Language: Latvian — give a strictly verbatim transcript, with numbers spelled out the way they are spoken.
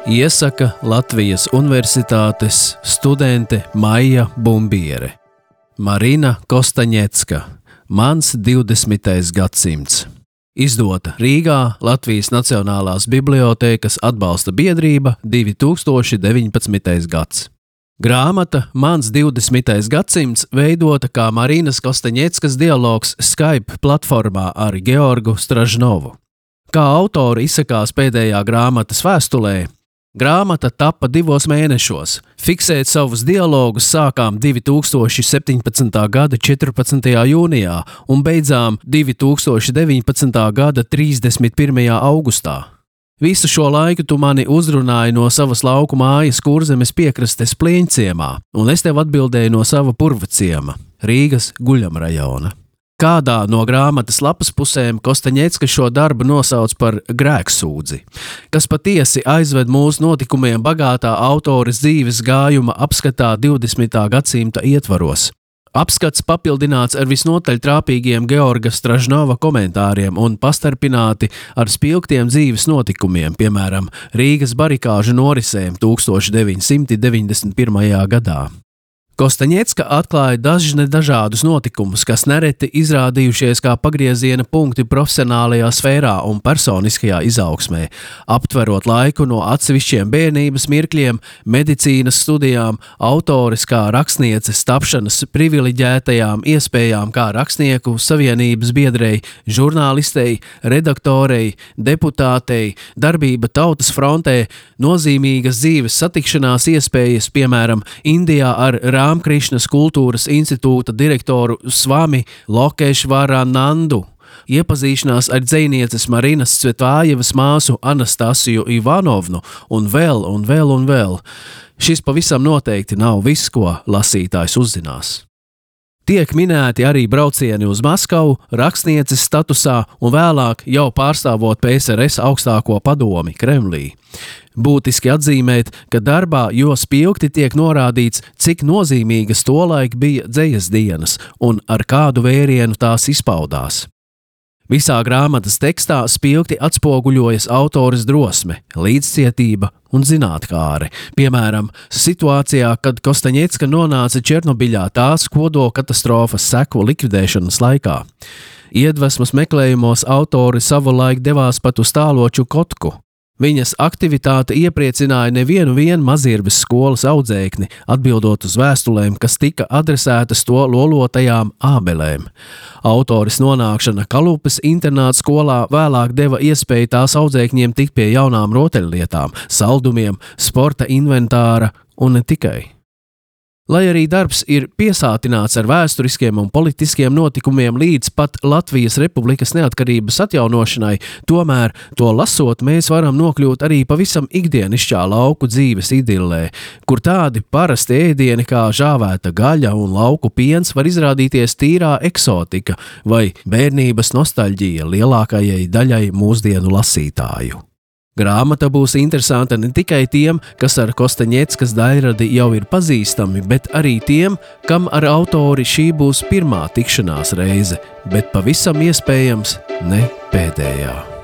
Iesaka Latvijas Universitātes studente Maija Bumbiere. Marina Kostaņecka. Mans divdesmitais gadsimts. Izdota Rīgā Latvijas Nacionālās bibliotēkas atbalsta biedrība divi tūkstoši deviņpadsmitais gads. Grāmata Mans divdesmitais gadsimts veidota kā Marinas Kostaņeckas dialogs Skype platformā ar Georgu Stražnovu. Kā autori izsakās pēdējā grāmatas vēstulē, grāmata tappa divos mēnešos. Fiksēt savus dialogus sākām divi tūkstoši septiņpadsmitā gada četrpadsmitajā jūnijā un beidzām divi tūkstoši deviņpadsmitā gada trīsdesmit pirmajā augustā. Visu šo laiku tu mani uzrunāji no savas lauku mājas Kurzemes piekrastes Plieņciemā, un es tev atbildēju no sava Purvciema, Rīgas Guļamrajona. Kādā no grāmatas lapas pusēm Kostaņecka šo darbu nosauc par grēksūdzi, kas patiesi aizved mūsu notikumiem bagātā autores dzīves gājuma apskatā divdesmitā gadsimta ietvaros. Apskats papildināts ar visnotaļ trāpīgiem Georga Stražnova komentāriem un pastarpināti ar spilgtiem dzīves notikumiem, piemēram, Rīgas barikāžu norisēm tūkstoš deviņsimt deviņdesmit pirmajā gadā. Kostaņecka atklāja dažne dažādus notikumus, kas nereti izrādījušies kā pagrieziena punkti profesionālajā sfērā un personiskajā izaugsmē, aptverot laiku no atsevišķiem bērnības mirkļiem, medicīnas studijām, autores kā rakstnieces tapšanas privileģētajām iespējām kā rakstnieku savienības biedrei, žurnālistei, redaktorei, deputātei, darbība tautas frontē, nozīmīgas dzīves satikšanās iespējas, piemēram, Indijā ar Rāmkrišnas kultūras institūta direktoru Svami Lokešvaranandu, iepazīšanās ar dzejnieces Marinas Cvetvājevas māsu Anastasiju Ivanovnu un vēl un vēl un vēl. Šis pavisam noteikti nav viss, ko lasītājs uzzinās. Tiek minēti arī braucieni uz Maskavu, rakstnieces statusā un vēlāk jau pārstāvot P S R S augstāko padomi Kremlī. Būtiski atzīmēt, ka darbā jo spilgti tiek norādīts, cik nozīmīgas tolaik bija dzejas dienas un ar kādu vērienu tās izpaudās. Visā grāmatas tekstā spilgti atspoguļojas autores drosme, līdzcietība un zinātkāre. Piemēram, situācijā, kad Kostaņecka nonāca Černobiļā tās kodolkatastrofas seku likvidēšanas laikā. Iedvesmas meklējumos autori savulaik devās pat uz tālo Čukotku. Viņas aktivitāte iepriecināja nevienu vien Mazirves skolas audzēkni, atbildot uz vēstulēm, kas tika adresētas to lolotajām ābelēm. Autoris nonākšana Kalupes internāta skolā vēlāk deva iespēju tās audzēkņiem tikt pie jaunām rotaļlietām, saldumiem, sporta inventāra un ne tikai. Lai arī darbs ir piesātināts ar vēsturiskiem un politiskiem notikumiem līdz pat Latvijas Republikas neatkarības atjaunošanai, tomēr to lasot mēs varam nokļūt arī pavisam ikdienišķā lauku dzīves idillē, kur tādi parasti ēdieni kā žāvēta gaļa un lauku piens var izrādīties tīrā eksotika vai bērnības nostalģija lielākajai daļai mūsdienu lasītāju. Grāmata būs interesanta ne tikai tiem, kas ar Kostaņeckas daļradi jau ir pazīstami, bet arī tiem, kam ar autori šī būs pirmā tikšanās reize, bet pavisam iespējams ne pēdējā.